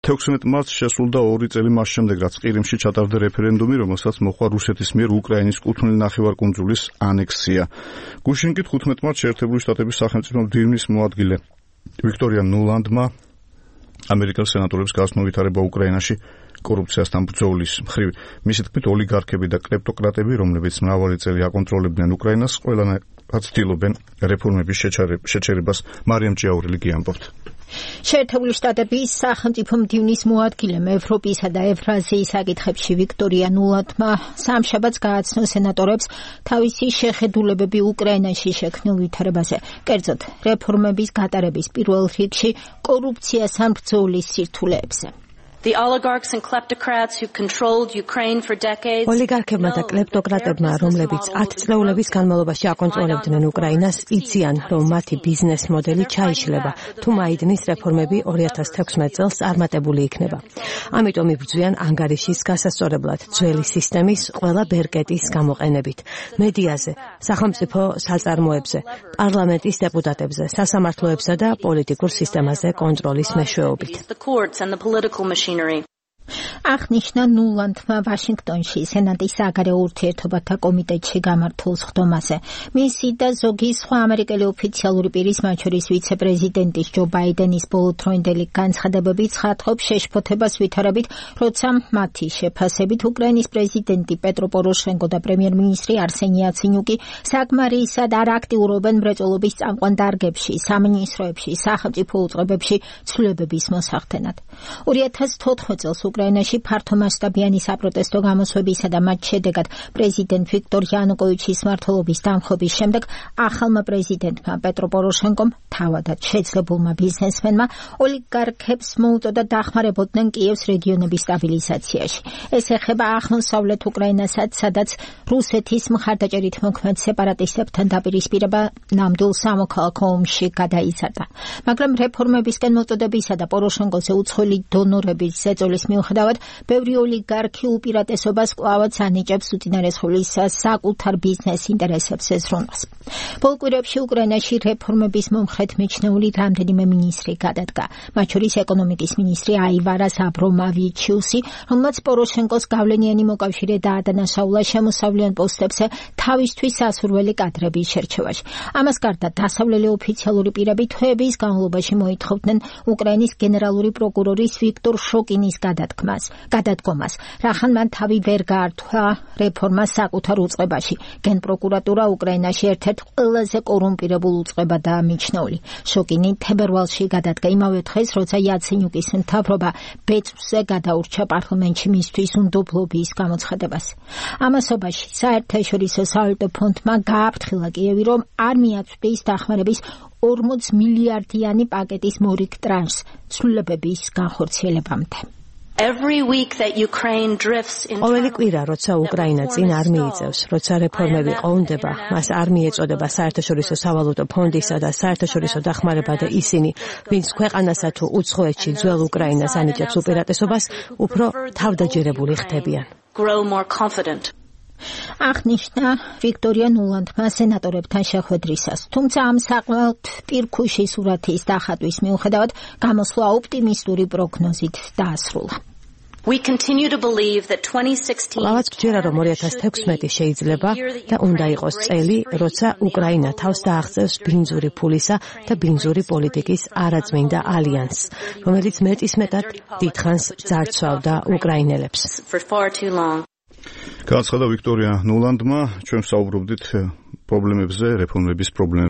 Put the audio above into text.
16 მარტს შესრულდა 2 წელი მას შემდეგ, რაც ყირიმში ჩატარდა რეფერენდუმი, რომელსაც მოჰყვა რუსეთის მიერ უკრაინის კუთვნილი ნახევარკუნძულის ანექსია. გუშინკით 15 მარტს შეერთებული შტატების სახელმწიფო მდივნის მოადგილე ვიქტორია ნულანდმა ამერიკელ სენატორებს გააცნო ვითარება უკრაინაში კორუფციასთან ბრძოლის მხრივ. მისი თქმით, ოლიგარქები და კლეპტოკრატები, რომლებიც მრავალი წელი აკონტროლებდნენ უკრაინას, ყველანაირად ცდილობენ რეფორმების შეჩერებას. მარიამ ჭიაურელი გიამბობთ. შეერთებული შტატების სახელმწიფო მდივნის მოადგილემ ევროპისა და ევრაზიის საკითხებში ვიქტორია ნულანდმა სამშაბათს გააცნო სენატორებს თავისი შეხედულებები უკრაინაში შექმნილ ვითარებაზე, კერძოდ რეფორმების გატარების პირველ რიგში კორუფციასთან ბრძოლის სირთულეებზე. The oligarchs and kleptocrats who controlled Ukraine for decades. ოლიგარქებმა და კლეპტოკრატებმა, რომლებიც 10 წლეულების განმავლობაში აკონტროლებდნენ უკრაინას, იციან, რომ მათი ბიზნეს მოდელი ჩაიშლება, თუ მაიდნის რეფორმები 2016 წელს წარმატებული იქნება. ამიტომ იბრძვიან ანგარიშის გასასწორებლად, ძველი სისტემის ყველა ბერკეტის გამოყენებით, მედიაზე, სახელმწიფო საწარმოებზე, პარლამენტის დეპუტატებზე, სასამართლოებსა და პოლიტიკურ სისტემაზე კონტროლის მეშვეობით. აღნიშნა ნულანდმა ვაშინგტონში სენატის საგარეო ურთიერთობათა კომიტეტში გამართულ სხდომაზე. მისი და ზოგი სხვა ამერიკელი ოფიციალური პირის, მათ შორის ვიცე-პრეზიდენტის ჯო ბაიდენის ბოლოდროინდელი განცხადებები ცხადყოფს შეშფოთებას ვითარებით, როცა მათი შეფასებით უკრაინის პრეზიდენტი პეტრო პოროშენკო და პრემიერ-მინისტრი არსენი იაცენიუკი საკმარისად არ აქტიურობენ მრეწველობის წამყვან დარგებში, სამინისტროებში, სახელმწიფო უწყებებში ცვლილებების მოსახდენად. 2014 წელს უკრაინაში ფართომასშტაბიანი საპროტესტო გამოსვლებისა და მათ შედეგად პრეზიდენტ ვიქტორ იანუკოვიჩის მმართველობის დამხობის შემდეგ ახალმა პრეზიდენტმა პეტრო პოროშენკომ თავადაც შეძლებულმა ბიზნესმენმა ოლიგარქებს მოუწოდა დახმარებოდნენ კიევს რეგიონების სტაბილიზაციაში. ეს ეხება აღმოსავლეთ უკრაინასაც, სადაც რუსეთის მხარდაჭერით მოქმედ სეპარატისტებთან დაპირისპირება ნამდვილ სამოქალაქო ომში გადაიზარდა. მაგრამ რეფორმებისკენ მოწოდებისა და პოროშენკოზე უცხოელი დონორების ზეწოლის მიუხედავად, ბევრი ოლიგარქი უპირატესობას კვლავაც ანიჭებს უწინარესხულის საკუთარ ბიზნეს ინტერესებს ეზრუნვას. ბოლო კვირებში უკრაინაში რეფორმების მომხრედ მიჩნეული რამდენიმე მინისტრი გადადგა, მათ შორის ეკონომიკის მინისტრი აივარას აბრომავიჩიუსი, რომელმაც პოროშენკოს გავლენიანი მოკავშირე დაადანაშაულა შემოსავლიან პოსტებზე თავისთვის სასურველი კადრების შერჩევაში. ამას გარდა დასავლელი ოფიციალური პირები თვეების განმავლობაში მოითხოვდნენ უკრაინის გენერალური პროკურორის ვიქტორ შოკინის გადადგომას, რახან მან თავი ვერ გაართვა რეფორმას საკუთარ უწყებაში. გენპროკურატურა უკრაინაში ერთ-ერთ ყველაზე კორუმპირებულ უწყებადაა მიჩნეული. შოკინი თებერვალში გადადგა იმავე დღეს, როცა იაცენიუკის მთავრობა ბეწვზე გადაურჩა პარლამენტში მისთვის უნდობლობის გამოცხადებას. ამასობაში საერთაშორისო სავალუტო ფონდმა გააფრთხილა კიევი, რომ არ მიაწვდის დახმარების 40 მილიარდიანი პაკეტის მორიგ ტრანშს ცვლილებების განხორციელებამდე. ყოველი კვირა, როცა უკრაინა წინ არ მიიწევს, როცა რეფორმები ყოვნდება, მას არ მიეწოდება საერთაშორისო სავალუტო ფონდისა და საერთაშორისო დახმარება და ისინი, ვინც ქვეყანასა თუ უცხოეთში ძველ უკრაინას ანიჭებს უპირატესობას, უფრო თავდაჯერებული ხდებიან. აღნიშნა ვიქტორია ნულანდმა სენატორებთან შეხვედრისას, თუმცა ამ საკმაოდ პირქუში სურათის დახატვის მიუხედავად გამოსვლა ოპტიმისტური პროგნოზით დაასრულა. ლავაც გჯერა, რომ 2016 შეიძლება და უნდა იყოს წელი, როცა უკრაინა თავს დააღწევს ბინძური ფულისა და ბინძური პოლიტიკის არაწმინდა ალიანსს, რომელიც მეტისმეტად დიდხანს ძარცვავდა უკრაინელებს. განაცხადა ვიქტორია ნულანდმა, ჩვენ ვსაუბრობდით პრობლემებზე, რეფორმების პრობლემებზე.